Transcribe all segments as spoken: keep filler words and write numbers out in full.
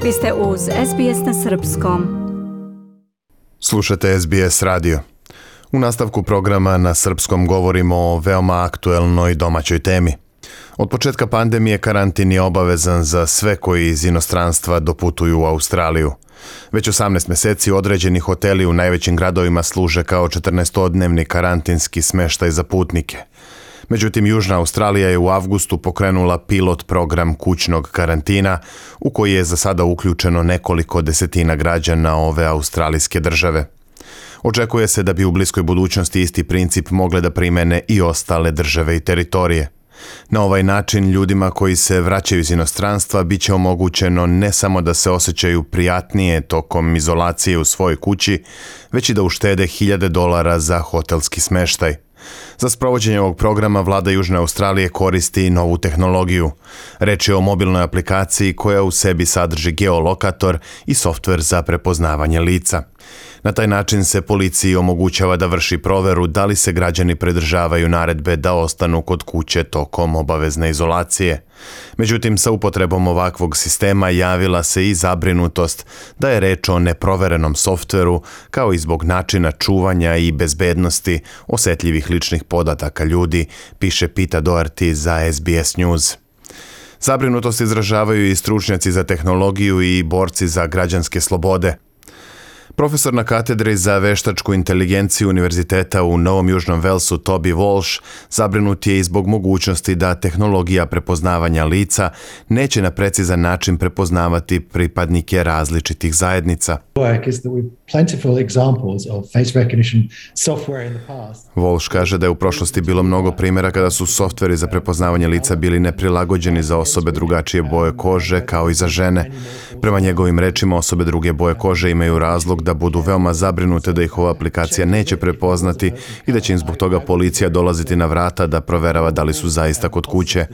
Vi ste uz S B S na srpskom. Slušate S B S radio. U nastavku programa na srpskom govorimo o veoma aktuelnoj domaćoj temi. Od početka pandemije karantin je obavezan za sve koji iz inostranstva doputuju u Australiju. Već osamnaest mjeseci određeni hoteli u najvećim gradovima služe kao četrnaestodnevni karantinski smještaj za putnike. Međutim, Južna Australija je u avgustu pokrenula pilot program kućnog karantina u koji je za sada uključeno nekoliko desetina građana ove australijske države. Očekuje se da bi u bliskoj budućnosti isti princip mogle da primene i ostale države i teritorije. Na ovaj način ljudima koji se vraćaju iz inostranstva bit će omogućeno ne samo da se osjećaju prijatnije tokom izolacije u svojoj kući, već i da uštede hiljade dolara za hotelski smještaj. Za sprovođenje ovog programa vlada Južne Australije koristi novu tehnologiju. Reč je o mobilnoj aplikaciji koja u sebi sadrži geolokator i softver za prepoznavanje lica. Na taj način se policiji omogućava da vrši proveru da li se građani pridržavaju naredbe da ostanu kod kuće tokom obavezne izolacije. Međutim, sa upotrebom ovakvog sistema javila se i zabrinutost da je reč o neproverenom softveru, kao i zbog načina čuvanja i bezbednosti osetljivih ličnih podataka ljudi, piše Pita Doherty za S B S News. Zabrinutost izražavaju i stručnjaci za tehnologiju i borci za građanske slobode. Profesor na katedri za veštačku inteligenciju Univerziteta u Novom Južnom Velsu Toby Walsh zabrinut je i zbog mogućnosti da tehnologija prepoznavanja lica neće na precizan način prepoznavati pripadnike različitih zajednica. Walsh kaže da je u prošlosti bilo mnogo primjera kada su softveri za prepoznavanje lica bili neprilagođeni za osobe drugačije boje kože kao i za žene. Prema njegovim rečima, osobe druge boje kože imaju razlog da budu veoma zabrinute da ih ova aplikacija neće prepoznati i da će im zbog toga policija dolaziti na vrata da proverava da li su zaista kod kuće.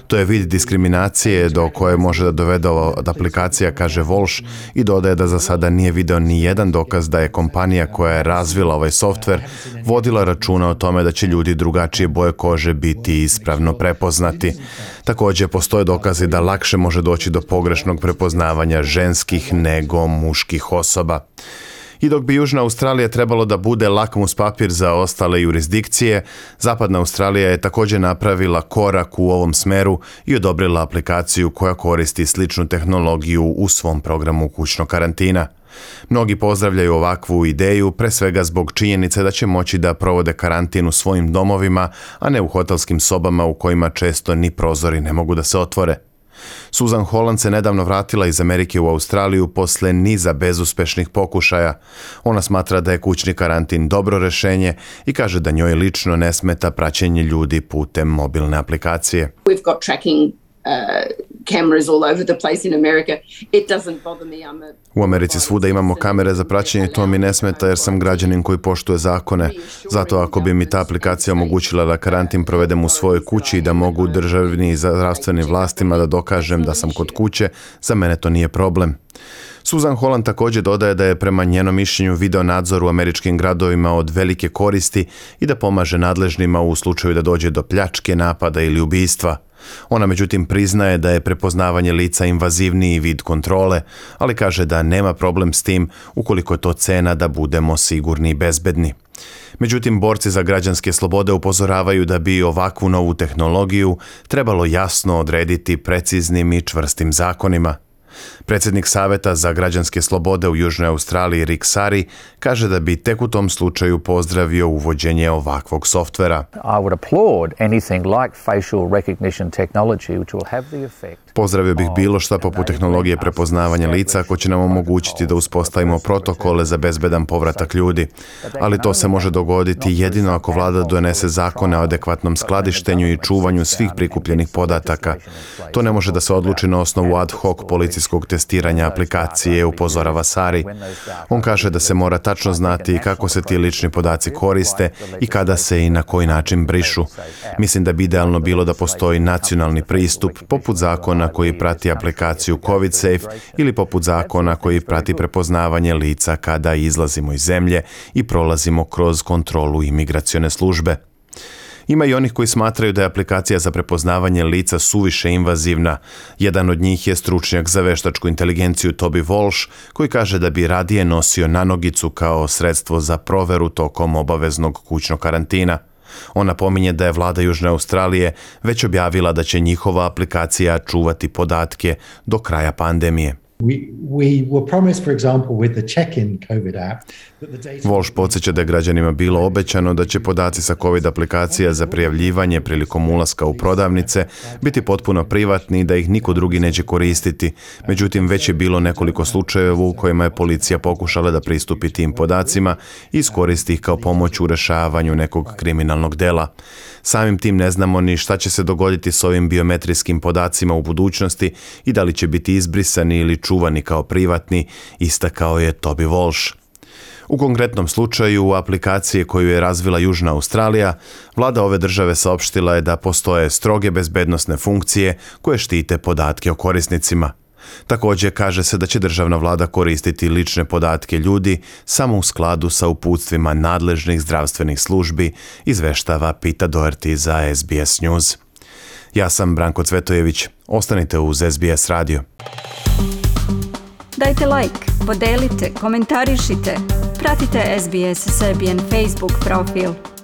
To je vid diskriminacije do koje može da dovede ova aplikacija, kaže Walsh, i dodaje da za sada nije video ni jedan dokaz da je kompanija koja je razvila ovaj softver vodila računa o tome da će ljudi drugačije boje kože biti ispravno prepoznati. Također, postoje dokazi da lakše može doći do pogrešnog prepoznavanja ženskih nego muških osoba. I dok bi Južna Australija trebalo da bude lakmus papir za ostale jurisdikcije, Zapadna Australija je također napravila korak u ovom smeru i odobrila aplikaciju koja koristi sličnu tehnologiju u svom programu kućnog karantina. Mnogi pozdravljaju ovakvu ideju, pre svega zbog činjenice da će moći da provode karantin u svojim domovima, a ne u hotelskim sobama u kojima često ni prozori ne mogu da se otvore. Susan Holland se nedavno vratila iz Amerike u Australiju posle niza bezuspešnih pokušaja. Ona smatra da je kućni karantin dobro rešenje i kaže da njoj lično ne smeta praćenje ljudi putem mobilne aplikacije. We've got tracking uh, cameras all over the place in America. It doesn't bother me. I'm a... U Americi svuda imamo kamere za praćenje, to mi ne smeta jer sam građanin koji poštuje zakone. Zato ako bi mi ta aplikacija omogućila da karantin provedem u svojoj kući i da mogu državni i zdravstvenim vlastima da dokažem da sam kod kuće, za mene to nije problem. Susan Holland također dodaje da je prema njenom mišljenju video nadzor u američkim gradovima od velike koristi i da pomaže nadležnima u slučaju da dođe do pljačke, napada ili ubistva. Ona međutim priznaje da je prepoznavanje lica invazivniji vid kontrole, ali kaže da nema problem s tim ukoliko je to cena da budemo sigurni i bezbedni. Međutim, borci za građanske slobode upozoravaju da bi ovakvu novu tehnologiju trebalo jasno odrediti preciznim i čvrstim zakonima. Predsjednik Saveta za građanske slobode u Južnoj Australiji Rick Sari kaže da bi tek u tom slučaju pozdravio uvođenje ovakvog softvera. Pozdravio bih bilo šta poput tehnologije prepoznavanja lica ako će nam omogućiti da uspostavimo protokole za bezbedan povratak ljudi. Ali to se može dogoditi jedino ako vlada donese zakone o adekvatnom skladištenju i čuvanju svih prikupljenih podataka. To ne može da se odluči na osnovu ad hoc policijskog testiranja aplikacije, upozorava Sari. On kaže da se mora tačno znati kako se ti lični podaci koriste i kada se i na koji način brišu. Mislim da bi idealno bilo da postoji nacionalni pristup, poput zakona koji prati aplikaciju COVID Safe ili poput zakona koji prati prepoznavanje lica kada izlazimo iz zemlje i prolazimo kroz kontrolu imigracione službe. Ima i onih koji smatraju da je aplikacija za prepoznavanje lica suviše invazivna. Jedan od njih je stručnjak za veštačku inteligenciju Toby Walsh, koji kaže da bi radije nosio nanogicu kao sredstvo za proveru tokom obaveznog kućnog karantina. On napominje da je vlada Južne Australije već objavila da će njihova aplikacija čuvati podatke do kraja pandemije. We, we were promised, for example, with the check-in COVID app, that the data... Walsh podsjeća da je građanima bilo obećano da će podaci sa COVID aplikacija za prijavljivanje prilikom ulaska u prodavnice biti potpuno privatni i da ih niko drugi neće koristiti. Međutim, već je bilo nekoliko slučajeva u kojima je policija pokušala da pristupi tim podacima i iskoristi ih kao pomoć u rešavanju nekog kriminalnog dela. Samim tim ne znamo ni šta će se dogoditi s ovim biometrijskim podacima u budućnosti i da li će biti izbrisani ili čuvani kao privatni, istakao je Toby Walsh. U konkretnom slučaju, u aplikaciji koju je razvila Južna Australija, vlada ove države saopštila je da postoje stroge bezbednosne funkcije koje štite podatke o korisnicima. Također kaže se da će državna vlada koristiti lične podatke ljudi samo u skladu sa uputstvima nadležnih zdravstvenih službi, izveštava Pita Doherty za S B S News. Ja sam Branko Cvetojević. Ostanite uz S B S radio. Dajte like, podelite, komentarišite. Pratite S B S Serbian Facebook profil.